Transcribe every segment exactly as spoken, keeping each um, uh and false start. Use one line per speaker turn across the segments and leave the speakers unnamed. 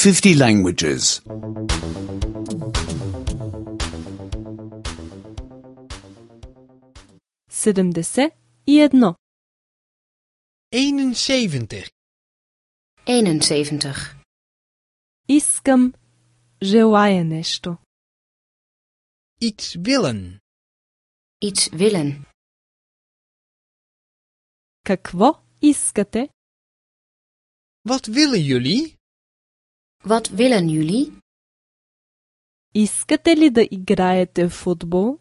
fifty languages.
седемдесет и едно.
eenenzeventig.
eenenzeventig.
Искам, желая нещо.
Iets willen.
Iets willen.
Какво искате?
Wat willen jullie?
Wat willen jullie?
Искате ли да играете в футбол?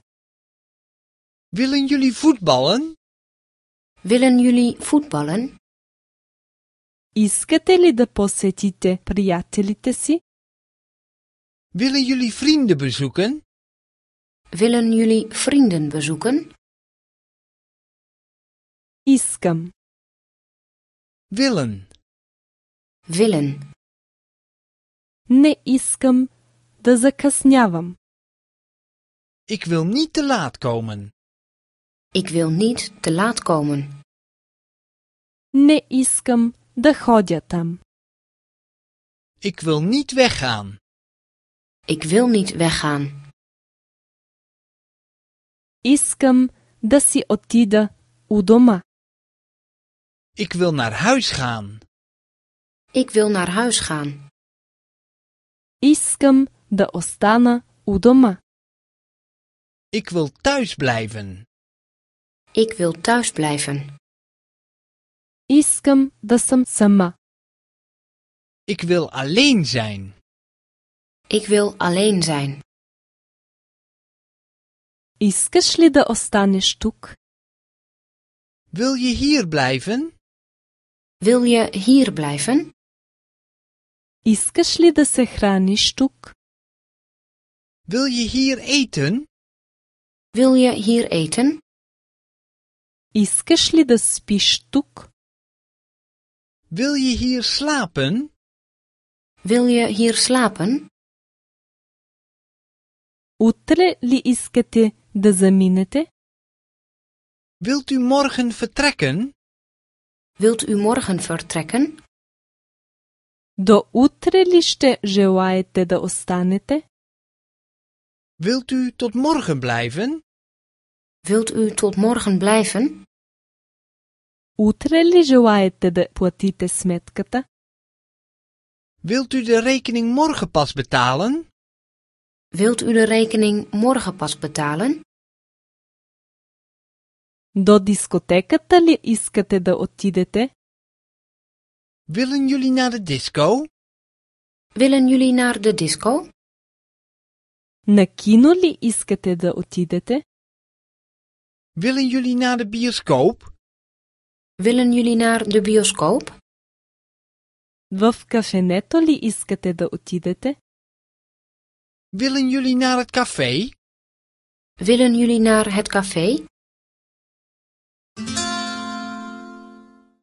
Willen jullie voetballen?
Willen jullie voetballen?
Искате ли да посетите приятелите си?
Willen jullie vrienden bezoeken?
Willen jullie vrienden bezoeken?
Искам.
Willen.
Willen.
Не искам да закъснявам.
Ik wil niet te laat komen.
Ik wil niet te laat komen.
Не искам да ходя там.
Ik wil niet weggaan.
Ik wil niet weggaan.
Искам да си отида у дома.
Ik wil naar huis gaan.
Ik wil naar huis gaan.
Искам да остана у дома.
Ik wil thuis blijven.
Ik wil thuis blijven.
Искам да съм сама.
Ik wil alleen zijn.
Ik wil alleen zijn.
Искаш ли да останеш тук?
Wil je hier blijven?
Wil je hier blijven?
Искаш ли да се храниш тук?
Wil je hier eten?
Wil je hier eten?
Искаш ли да спиш тук?
Wil je hier slapen?
Wil je hier slapen?
Утре ли искате да заминете?
Wilt u morgen vertrekken?
Wilt u morgen vertrekken?
До утре ли ще желаете да останете?
Wilt u tot morgen blijven?
Wilt u tot morgen blijven?
Утре ли желаете да платите сметката?
Wilt u de rekening morgen pas betalen?
Wilt u de rekening morgen pas betalen?
До дискотеката ли искате да отидете?
Willen jullie naar de disco?
Willen jullie naar de disco?
На кино ли искате да отидете?
Willen jullie naar de bioscoop?
Willen jullie naar de bioscoop?
В кафенето ли искате да отидете?
Willen jullie naar het café?
Willen jullie naar het café?